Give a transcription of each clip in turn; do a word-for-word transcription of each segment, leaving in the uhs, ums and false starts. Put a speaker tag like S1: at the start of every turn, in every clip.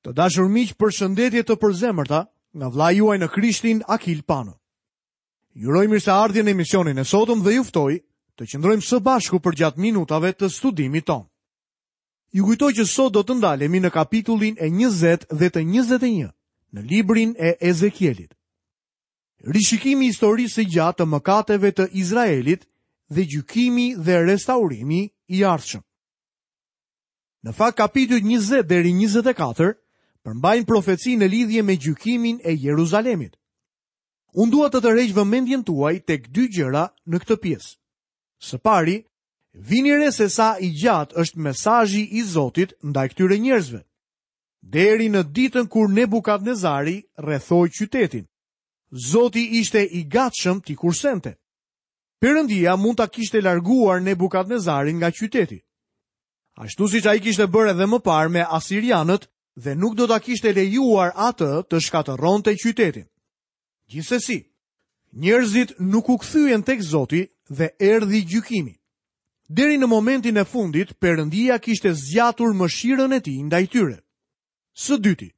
S1: Të dashur miq, përshëndetje të përzemërta nga vëllai juaj në Krishtin Akil Pano. Ju uroj mirëseardhjen në emisionin e sotëm dhe ju ftoj të qëndrojmë së bashku përgjatë minutave të studimit tonë. Ju kujtoj që sot do të ndalemi në kapitullin e njëzet dhe të njëzet e një në librin e Ezekielit. Rishikimi i historisë së gjatë të mëkateve të Izraelit dhe gjykimi dhe restaurimi i ardhshëm. Në fakt, kapitujt njëzet deri njëzet e katër përmbajnë profeci në lidhje me gjykimin e Jeruzalemit. Unë dua të tërheq vëmendjen tuaj tek dy gjëra në këtë pjesë. Së pari, vini re se sa i gjatë është mesazhi i Zotit ndaj këtyre njerëzve. Deri në ditën kur Nebukadnezari rrethoi qytetin, Zoti ishte i gatshëm t'i kursente. Perëndia mund ta kishte larguar Nebukadnezarin nga qyteti. Ashtu siç ai kishte bërë edhe më parë me asirianët dhe nuk do ta kishte lejuar atë të shkatërronte qytetin. Gjithsesi, njerëzit nuk u kthyen tek Zoti dhe erdhi gjykimi. Deri në momentin e fundit, Perëndia kishte zgjatur mëshirën e tij ndaj tyre. Së dyti,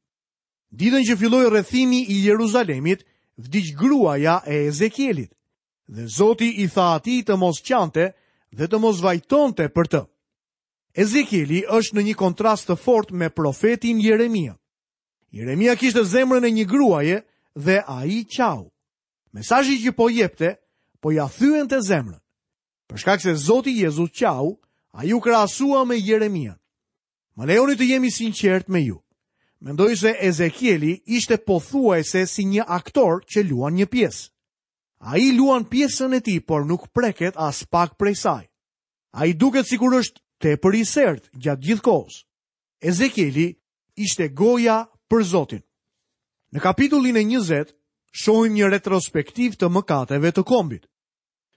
S1: ditën që filloi rrethimi i Jeruzalemit, vdiq gruaja e Ezekielit, dhe Zoti i tha atij të mos qante dhe të mos vajtonte për të. Ezekieli është në një kontrast të fortë me profetin Jeremia. Jeremia kishte zemrën e një gruaje dhe ai qau. Mesazhi që po jepte, po ja thyente zemrën. Për shkak se Zoti Jezus qau, ai u krahasua me Jeremia. Më lejoni të jemi sinqert me ju. Mendoj se Ezekieli ishte pothuajse si një aktor që luan një pjesë. Ai luan pjesën e tij, por nuk preket as pak prej saj. Ai duket sikur është tepër i sert gjatë gjithë kohës. Ezekieli ishte goja për Zotin. Në kapitullin e njëzet shohim një retrospektiv të mëkateve të kombit.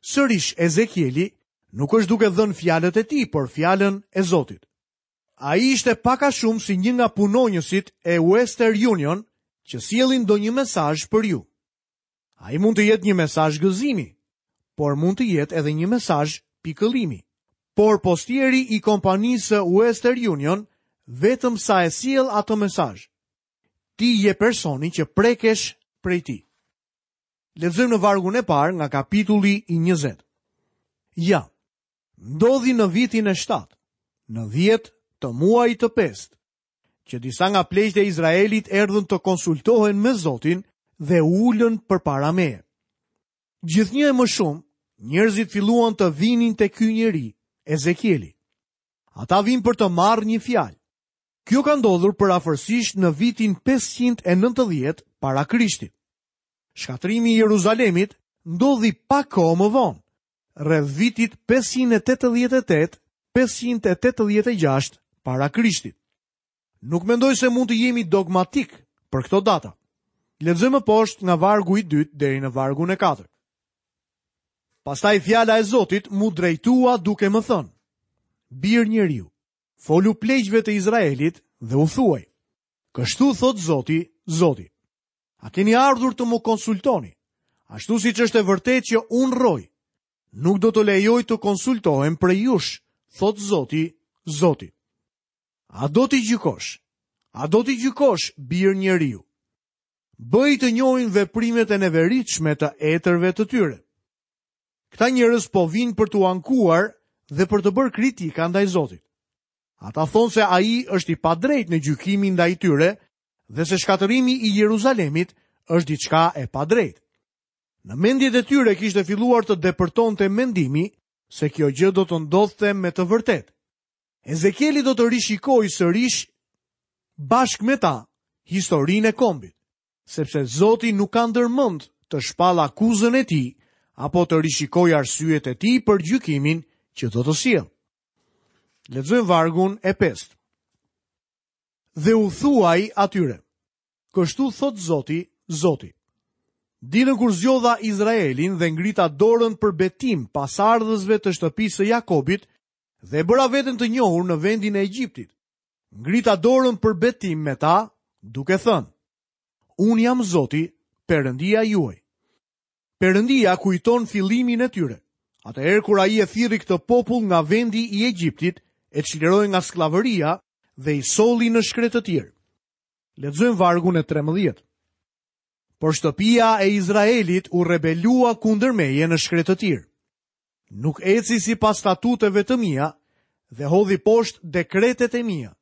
S1: Sërish Ezekieli nuk është duke dhënë fjalët e tij, por fjalën e Zotit. Ai ishte pak a shumë si një nga punonjësit e Western Union që sjellin ndonjë mesazh për ju. Ai mund të jetë një mesazh gëzimi, por mund të jetë edhe një mesazh pikëllimi. Por postieri i kompanisë Western Union vetëm sa e sjell atë mesazh. Ti je personi që prekesh prej tij. Lexojmë në vargun e parë nga kapitulli i njëzet. Ja, ndodhi në vitin e shtatë, në dhjetë të muajit të pestë, që disa nga pleqtë e Izraelit erdhën të konsultohen me Zotin dhe u ulën përpara meje. Gjithnjë e më shumë, njerëzit filluan të vinin te ky njeri, Ezekieli. Ata vinë për të marrë një fjalë. Kjo ka ndodhur përafërsisht në vitin pesëqind e nëntëdhjetë para Krishtit. Shkatrimi i Jeruzalemit ndodhi pak kohë më vonë, rreth vitit pesëqind e tetëdhjetë e tetë, pesëqind e tetëdhjetë e gjashtë para Krishtit. Nuk mendoj se mund të jemi dogmatik për këto data. Lexojmë poshtë nga vargu i dytë deri në vargun e katërt. Pastaj fjala e Zotit mu drejtua duke më thënë: Bir njeriu, folu pleqve të Izraelit dhe u thuaj: Kështu thot Zoti, Zoti. A keni ardhur të më konsultoni? Ashtu siç është e vërtetë që unë rroj, nuk do të lejoj të konsultohem prej jush, thot Zoti, Zoti. A do t'i gjykosh? A do t'i gjykosh, bir njeriu? Bëj të njohin veprimet e neveritshme të etërve të tyre. Këta njerëz po vinë për t'u ankuar dhe për të bërë kritika ndaj Zotit. Ata thonë se ai është i padrejtë në gjykimin ndaj tyre dhe se shkatërrimi i Jeruzalemit është diçka e padrejtë. Në mendjet e tyre kishte filluar të depërtonte mendimi se kjo gjë do të ndodhte me të vërtetë. Ezekieli do të rishikojë sërish bashkë me ta historinë e kombit, sepse Zoti nuk ka ndërmend të shpallë akuzën e tij apo të rishikojë arsyet e tij për gjykimin që do të sjellë. Lexojmë vargun e pestë. Dhe u thuaj atyre: Kështu thot Zoti, Zoti. Ditën kur zgjodha Izraelin dhe ngrita dorën për betim pasardhësve të shtëpisë së Jakobit dhe bëra veten të njohur në vendin e Egjiptit, ngrita dorën për betim me ta, duke thënë: Unë jam Zoti, Perëndia juaj. Perëndia kujton fillimin e tyre. Atëherë kur ai e thirri këtë popull nga vendi i Egjiptit, e çliroi nga skllavëria dhe i solli në shkretëtirë. Lexojmë vargun e trembëdhjetë. Por shtëpia e Izraelit u rebelua kundër meje në shkretëtirë. Nuk eci sipas statuteve të mia dhe hodhi poshtë dekretet e mia.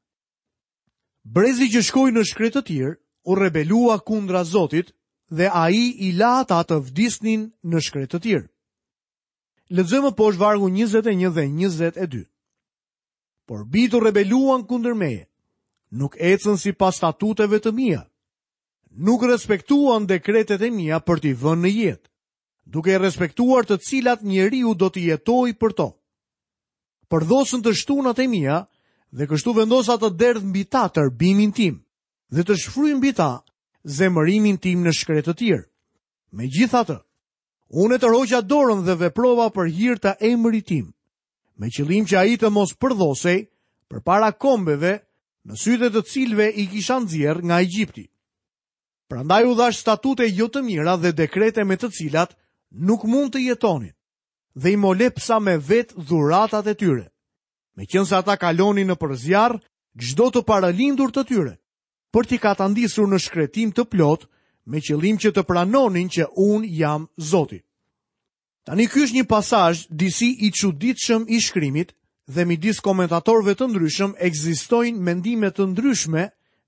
S1: Brezi që shkoi në shkretëtirë u rebelua kundra Zotit dhe ai i la ata të vdisnin në shkretëtirë. Lexojmë poshtë vargu njëzet e një dhe njëzet e dy. Por bijtë u rebeluan kundër meje, nuk ecën sipas statuteve të mia, nuk respektuan dekretet e mia për t'i vënë në jetë, duke e respektuar të cilat njeriu do t'i jetojë për to. Përdhosën të shtunat e mia dhe kështu vendosa të derdh mbi ta tërbimin tim dhe të shfryj mbi ta zemërimin tim në shkretëtirë. Megjithatë, unë e tërhoqa dorën dhe veprova për hir të emrit tim, me qëllim që ai të mos përdhosej përpara kombeve në sytë e të cilëve i kisha nxjerr nga Egjipti. Prandaj u dhash statute jo të mira dhe dekrete me të cilat nuk mund të jetonin, dhe i molepsa me vetë dhuratat e tyre, meqense ata kalonin nëpër zjarr çdo të paralindur të tyre, për t'i katandisur në shkretim të plot, me qëllim që të pranonin që unë jam Zoti. Tani ky është një pasazh disi i çuditshëm i shkrimit dhe midis komentatorëve të ndryshëm ekzistojnë mendime të ndryshme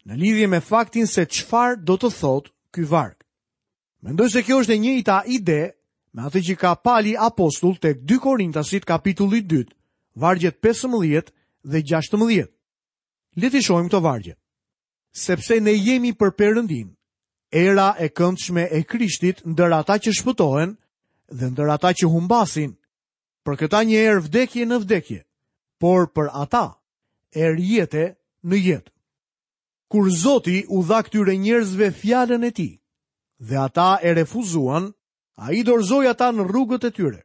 S1: në lidhje me faktin se çfarë do të thotë ky varg. Mendoj se kjo është e njëjta ide me atë që ka Pali apostull tek dy Korintasit kapitulli dy, vargjet pesëmbëdhjetë dhe gjashtëmbëdhjetë. Le t'i shohim këto vargje. Sepse ne jemi për Perëndin, era e këndshme e Krishtit ndër ata që shpëtohen dhe ndër ata që humbasin, për këta një erë vdekje në vdekje, por për ata erë jete në jetë. Kur Zoti u dha këtyre njerëzve fjalën e tij, dhe ata e refuzuan, ai dorëzoi ata në rrugët e tyre.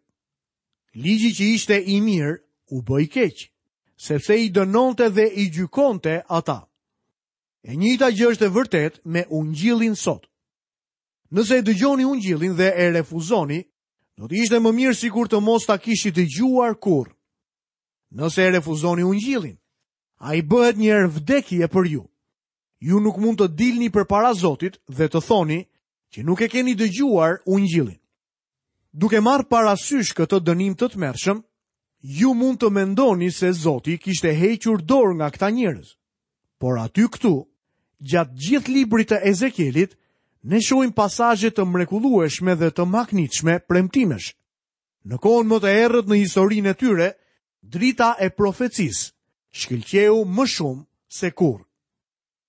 S1: Ligji që ishte i mirë u bë i keq, sepse i dënonte dhe i gjykonte ata. E njëjta gjë është e vërtetë me ungjillin sot. Nëse e dëgjoni ungjillin dhe e refuzoni, do të ishte më mirë sikur të mos ta kishit dëgjuar kurrë. Nëse e refuzoni ungjillin, ai bëhet një erë vdekje për ju. Ju nuk mund të dilni përpara Zotit dhe të thoni që nuk e keni dëgjuar ungjillin. Duke marrë parasysh këtë dënim të tmerrshëm, ju mund të mendoni se Zoti kishte hequr dorë nga këta njerëz. Por aty këtu, gjatë gjithë librit të Ezekielit, ne shohim pasazhe të mrekullueshme dhe të mahnitshme premtimesh. Në kohën më të errët në historinë e tyre, drita e profecisë shkëlqeu më shumë se kurrë.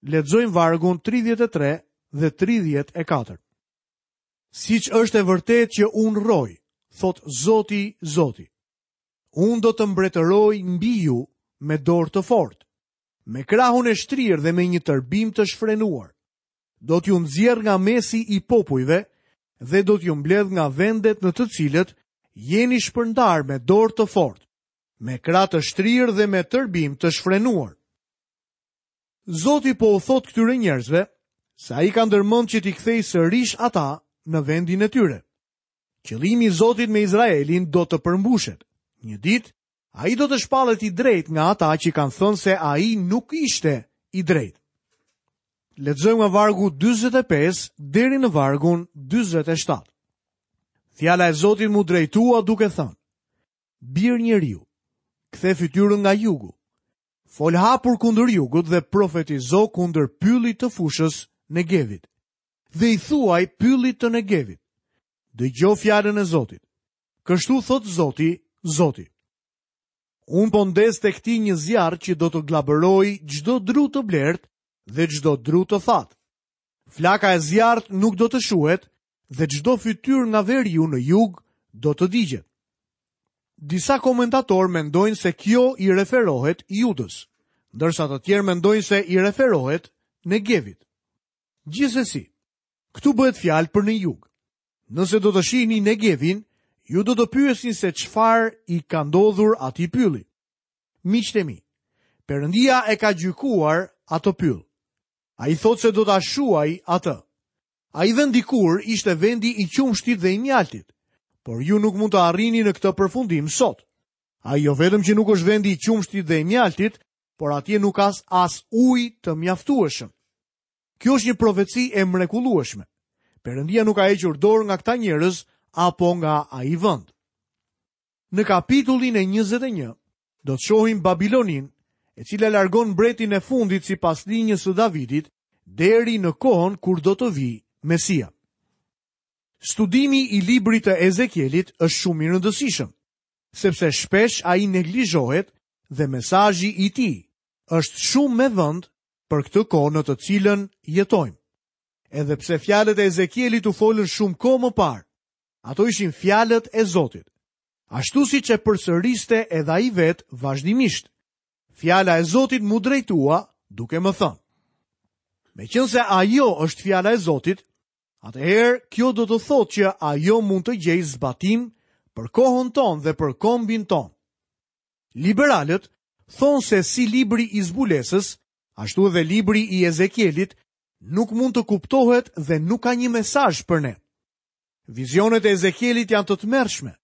S1: Lexojmë vargun tridhjetë e tre dhe tridhjetë e katër. Siç është e vërtetë që unë rroj, thot Zoti, Zoti. Unë do të mbretëroj mbi ju me dorë të fortë, me krahun e shtrirë dhe me një tërbim të shfrenuar. Do t'ju nxjerr nga mesi i popujve dhe do t'ju mbledh nga vendet në të cilët jeni shpërndar me dorë të fortë, me krah të shtrirë dhe me tërbim të shfrenuar. Zoti po u thot këtyre njerëzve se ai ka ndërmend që t'i kthej sërish ata në vendin e tyre. Qëllimi i Zotit me Izraelin do të përmbushet. Një ditë, ai do të shpallet i drejtë nga ata që kanë thënë se ai nuk ishte i drejtë. Lexojmë nga vargu dyzet e pesë deri në vargun dyzet e shtatë. Fjala e Zotit mu drejtua duke thënë: Bir njeriu, kthe fytyrën nga jugu. Fol hapur kundër jugut dhe profetizo kundër pyllit të fushës Negevit. Dhe i thuaj pyllit të Negevit: Dëgjo fjalën e Zotit. Kështu thot Zoti, Zoti. Unë po ndes tek ti një zjarr që do të glabëroj çdo dru të blert dhe çdo dru të thatë. Flaka e zjarrit nuk do të shuhet dhe çdo fytyrë nga veriu në jug do të digjet. Disa komentatorë mendojnë se kjo i referohet Judës, ndërsa të tjerë mendojnë se i referohet Negevit. Gjithsesi, këtu bëhet fjalë për në jug. Nëse do të shihni Negevin, ju do të pyesni se çfarë i ka ndodhur atij pylli. Miqtë e mi, Perëndia e ka gjykuar atë pyll. Ai thotë se do ta shuaj atë. Ai vend dikur ishte vendi i qumshtit dhe i mjaltit, por ju nuk mund të arrini në këtë përfundim sot. Ai jo vetëm që nuk është vendi i qumshtit dhe i mjaltit, por atje nuk ka as ujë të mjaftueshëm. Kjo është një profeci e mrekullueshme. Perëndia nuk ka hequr dorë nga këta njerëz apo nga ai vend. Në kapitullin e njëzet e një do të shohim Babilonin, e cila largon mbretin e fundit sipas linjës së Davidit deri në kohën kur do të vijë Mesia. Studimi i librit të Ezekielit është shumë i rëndësishëm, sepse shpesh ai neglizhohet dhe mesazhi i tij është shumë me vend për këtë kohë në të cilën jetojmë. Edhe pse fjalët e Ezekielit u folën shumë kohë më parë, ato ishin fjalët e Zotit, ashtu siç e përsëriste edhe ai vetë vazhdimisht. Fjala e Zotit mu drejtua duke më thënë. Meqense ajo është fjala e Zotit, atëherë kjo do të thotë që ajo mund të gjejë zbatim për kohën tonë dhe për kombin tonë. Liberalët thonë se si libri i zbulesës, ashtu edhe libri i Ezekielit nuk mund të kuptohet dhe nuk ka një mesazh për ne. Vizionet e Ezekielit janë të tmerrshme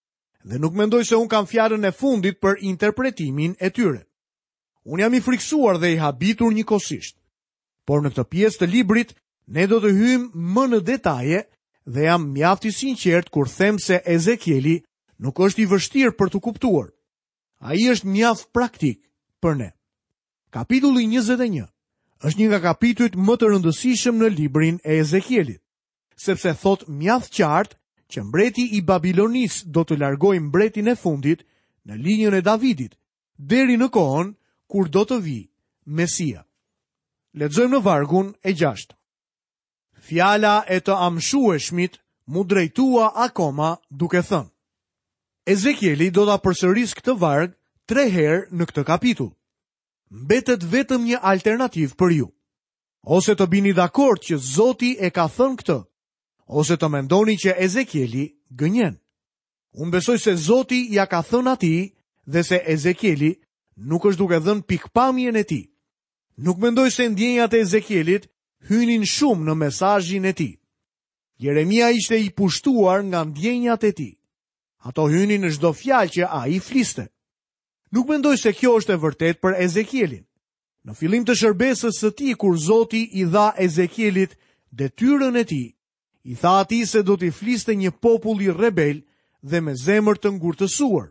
S1: dhe nuk mendoj se unë kam fjalën e fundit për interpretimin e tyre. Unë jam i frikësuar dhe i habitur njëkohësisht. Por në këtë pjesë të librit ne do të hyjmë më në detaje dhe jam mjaft i sinqert kur them se Ezekieli nuk është i vështirë për të kuptuar. Ai është mjaft praktik për ne. Kapitulli njëzet e një është një nga kapitujt më të rëndësishëm në librin e Ezekielit, sepse thot mjaft qartë që mbreti i Babilonisë do të largojë mbretin e fundit në linjën e Davidit, deri në kohën kur do të vijë Mesia. Lexojmë në vargun e gjashtë. Fjala e të amshueshmit mu drejtua akoma duke thënë. Ezekieli do ta përsërisë këtë varg tre herë në këtë kapitull. Mbetet vetëm një alternativë për ju. Ose të bini dakord që Zoti e ka thënë këtë, ose të mendoni që Ezekieli gënjen. Unë besoj se Zoti ja ka thënë atij dhe se Ezekieli nuk është duke dhënë pikpamjen e tij. Nuk mendoj se ndjenjat e Ezekielit hynin shumë në mesazhin e tij. Jeremia ishte i pushtuar nga ndjenjat e tij. Ato hynin në çdo fjalë që ai fliste. Nuk mendoj se kjo është e vërtetë për Ezekielin. Në fillim të shërbesës së tij, kur Zoti i dha Ezekielit detyrën e tij, i tha atij se do t'i fliste një populli rebel dhe me zemër të ngurtësuar.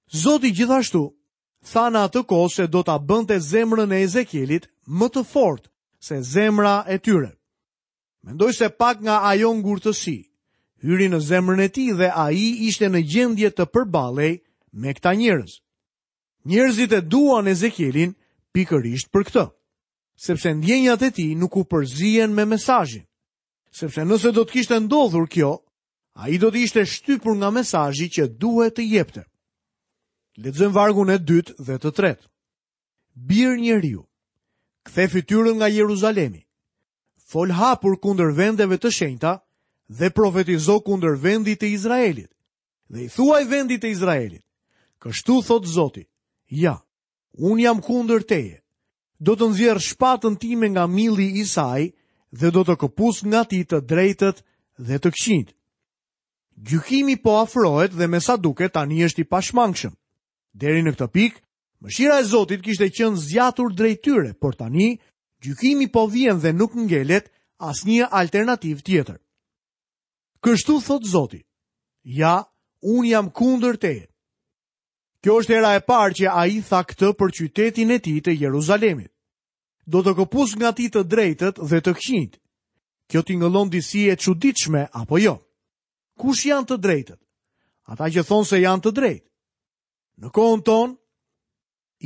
S1: Zoti gjithashtu tha në atë kohë se do ta bënte zemrën e Ezekielit më të fortë se zemra e tyre. Mendoj se pak nga ajo ngurtësi hyri në zemrën e tij dhe ai ishte në gjendje të përballej me këta njerëz. Njerëzit e duan Ezekielin pikërisht për këtë, sepse ndjenjat e tij nuk u përzien me mesazhin. Sepse nëse do të kishte ndodhur kjo, ai do të ishte shtypur nga mesazhi që duhet të jepte. Lexojmë vargun e dytë dhe të tretë. Bir njeriu, kthe fytyrën nga Jeruzalemi, fol hapur kundër vendeve të shenjta dhe profetizo kundër vendit të Izraelit. Dhe i thuaj vendit të Izraelit, kështu thot Zoti, ja, unë jam kundër teje, do të nxjerr shpatën time nga milli i saj dhe do të këpus nga ti të drejtët dhe të këqinjtë. Gjykimi po afrohet dhe me sa duket tani është i pashmangshëm. Deri në këtë pikë, mëshira e Zotit kishte qenë zgjatur drejt tyre, por tani gjykimi po vjen dhe nuk ngelet asnjë alternativë tjetër. Kështu thot Zoti, ja, unë jam kundër teje. Kjo është hera e parë që ai tha këtë për qytetin e tij të Jeruzalemit. Do të këpus nga ti të drejtët dhe të këqinjtë. Kjo tingëllon disi e çuditshme apo jo? Kush janë të drejtët? Ata që thonë se janë të drejtë. Në kohën tonë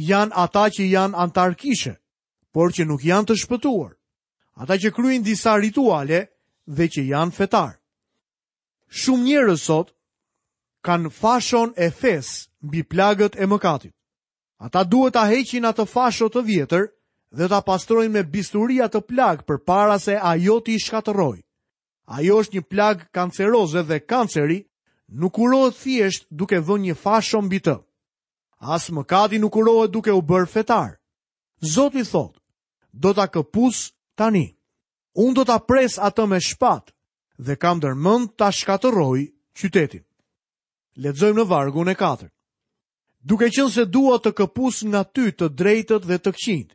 S1: janë ata që janë antar kishe, por që nuk janë të shpëtuar. Ata që kryejnë disa rituale dhe që janë fetar. Shumë njerëz sot kanë fashon e fes mbi plagët e mëkatit. Ata duhet ta heqin atë fasho të vjetër dhe ta pastrojnë me bisturi atë plagë përpara se ajo t'i shkatërrojë. Ajo është një plagë kanceroze dhe kanceri nuk kurohet thjesht duke vënë një fasho mbi të. As mëkati nuk kurohet duke u bërë fetar. Zoti thotë, do ta këpus tani. Unë do ta pres atë me shpat dhe kam ndërmend ta shkatërroj qytetin. Lexojmë në vargun e katërt. Duke qenë se dua të këpus nga ty të drejtët dhe të këqinjtë,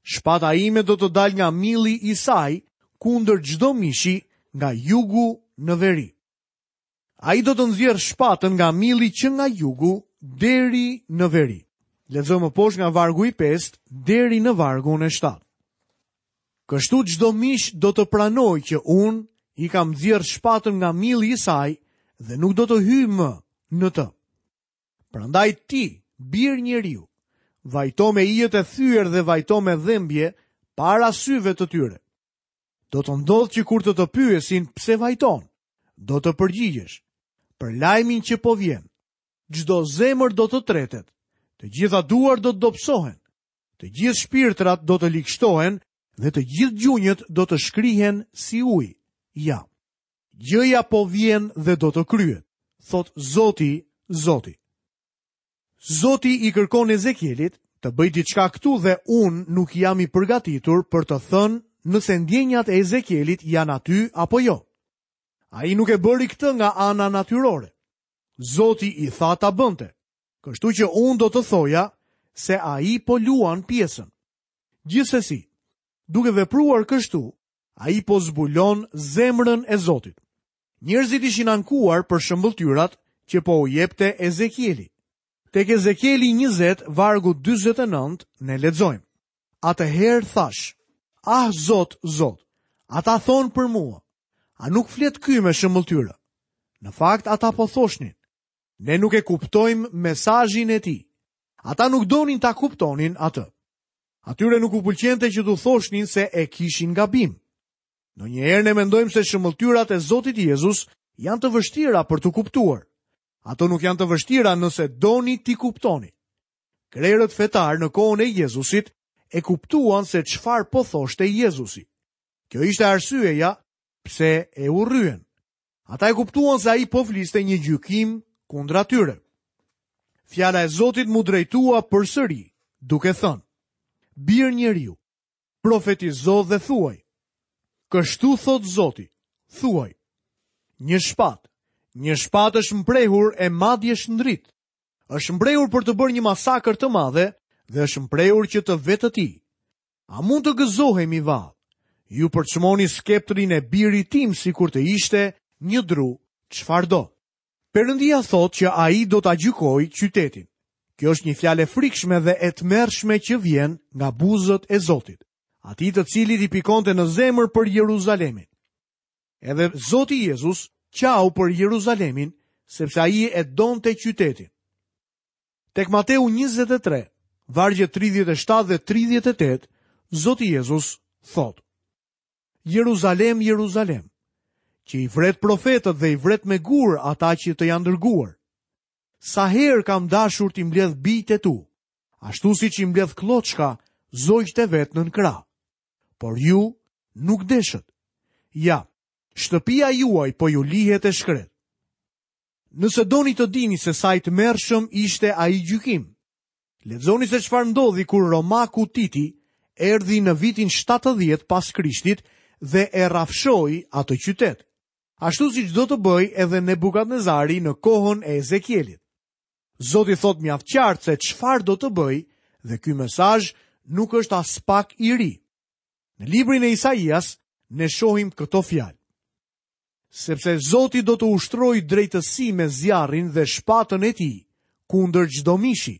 S1: Shpata ime do të dalë nga milli i saj kundër çdo mishi nga jugu në veri. Ai do të nxjerrë shpatën nga milli që nga jugu deri në veri. Lexojmë më poshtë nga vargu i pestë deri në vargun e shtatë. Kështu çdo mish do të pranojë që unë i kam nxjerrë shpatën nga milli i saj dhe nuk do të hyj më në të. Prandaj ti, bir njeriu, vajto me ijet e thyer dhe vajto me dhembje para syve të tyre. Do të ndodhë që kur të të pyesin pse vajton, do të përgjigjesh për lajmin që po vjen. Çdo zemër do të tretet, të gjitha duar do të dobësohen, të gjithë shpirtrat do të ligshtohen dhe të gjithë gjunjët do të shkrihen si ujë. Ja, gjëja po vjen dhe do të kryet, thot Zoti, Zoti. Zoti i kërkon Ezekielit të bëj diçka këtu dhe unë nuk jam i përgatitur për të thënë nëse ndjenjat e Ezekielit janë aty apo jo. Ai nuk e bëri këtë nga ana natyrore. Zoti i tha ta bënte, kështu që unë do të thoja se ai po luan pjesën. Gjithsesi, duke vepruar kështu, ai po zbulon zemrën e Zotit. Njerëzit ishin ankuar për shëmbëlltyrat që po u jepte Ezekieli. Tek Ezekieli njëzet, vargu dyzet e nëntë, ne lexojmë. Atëherë thash, ah Zot, Zot, ata thonë për mua, a nuk flet ky me shëmbëlltyra? Në fakt ata po thoshnin, ne nuk e kuptojmë mesazhin e tij. Ata nuk donin ta kuptonin atë. Atyre nuk u pëlqente që t'u thoshnin se e kishin gabim. Ndonjëherë ne mendojmë se shëmbëlltyrat e Zotit Jezus janë të vështira për t'u kuptuar. Ato nuk janë të vështira nëse doni t'i kuptoni. Krerët fetar në kohën e Jezusit e kuptuan se çfarë po thoshte Jezusi. Kjo ishte arsyeja pse e urryen. Ata e kuptuan se ai po fliste një gjykim kundra tyre. Fjala e Zotit mu drejtua përsëri, duke thënë: Bir njeriu, profetizo dhe thuaj. Kështu thot Zoti, thuaj: Një shpat, një shpat është mprehur e madje shndrit. Është mprehur për të bërë një masakër të madhe dhe është mprehur që të vetëti. A mund të gëzohemi vallë? Ju përçmoni skeptrin e birit tim sikur të ishte një dru çfarëdo. Perëndia thotë që ai do ta gjykojë qytetin. Kjo është një fjalë e frikshme dhe e tmerrshme që vjen nga buzët e Zotit, atij të cilit i pikonte në zemër për Jeruzalemin. Edhe Zoti Jezus qau për Jeruzalemin, sepse ai e donte qytetin. Tek Mateu njëzet e tre, vargje tridhjetë e shtatë dhe tridhjetë e tetë, Zoti Jezus thotë: Jeruzalem, Jeruzalem, që i vret profetët dhe i vret me gur ata që të janë dërguar. Sa herë kam dashur t'i mbledh bijtë e tu, ashtu siç i mbledh klloçka zogjtë e vet nën krah. Por ju nuk deshët. Ja, shtëpia juaj po ju lihet e shkret. Nëse doni të dini se sa i tmerrshëm ishte ai gjykim, lexoni se çfarë ndodhi kur Romaku Titi erdhi në vitin shtatëdhjetë pas Krishtit dhe e rrafshoi atë qytet, ashtu siç do të bëj edhe Nebukadnezari në kohën e Ezekielit. Zoti thot mjaft qartë se çfarë do të bëj dhe ky mesazh nuk është as pak i ri. Në librin e Isaias ne shohim këto fjalë: Sepse Zoti do të ushtrojë drejtësi me zjarrin dhe shpatën e tij kundër çdo mishi,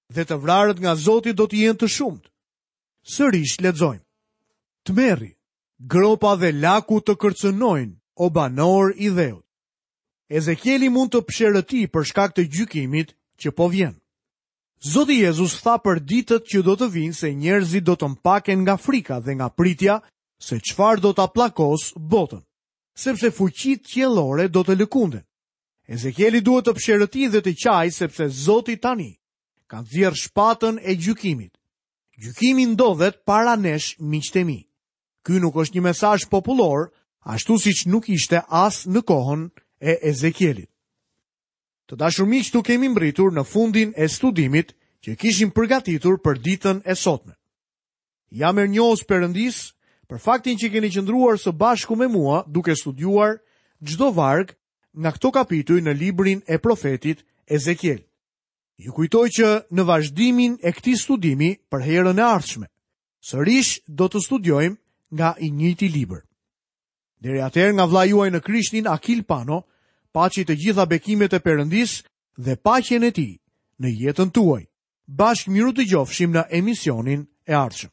S1: dhe të vrarët nga Zoti do të jenë të shumtë. Sërish lexojmë: Tmerri, gropa dhe laku të kërcënojnë, o banor i dheut. Ezekieli mund të psherëti për shkak të gjykimit që po vjen. Zoti Jezus tha për ditët që do të vinë se njerëzit do të mpaken nga frika dhe nga pritja se çfarë do ta pllakos botën, sepse fuqitë qiellore do të lëkunden. Ezekieli duhet të psherëti dhe të qaj sepse Zoti tani ka nxjerrë shpatën e gjykimit. Gjykimi ndodhet para nesh, miqtë e mi. Ky nuk është një mesazh popullor, ashtu siç nuk ishte as në kohën e Ezekielit. Të dashur miq, tu kemi mbritur në fundin e studimit që kishim përgatitur për ditën e sotme. Jam mirënjohës Perëndis për faktin që keni qëndruar së bashku me mua duke studiuar çdo varg nga këto kapituj në librin e profetit Ezekiel. Ju kujtoj që në vazhdimin e këtij studimi për herën e ardhshme, Sërish do të studiojmë nga i njëjti libër. Deri atëherë nga vëllai juaj në Krishtin Akil Pano, paçi të gjitha bekimet e Perëndisë dhe paqen e tij në jetën tuaj. Bashkë mirudëgjofshim në emisionin e ardhshëm.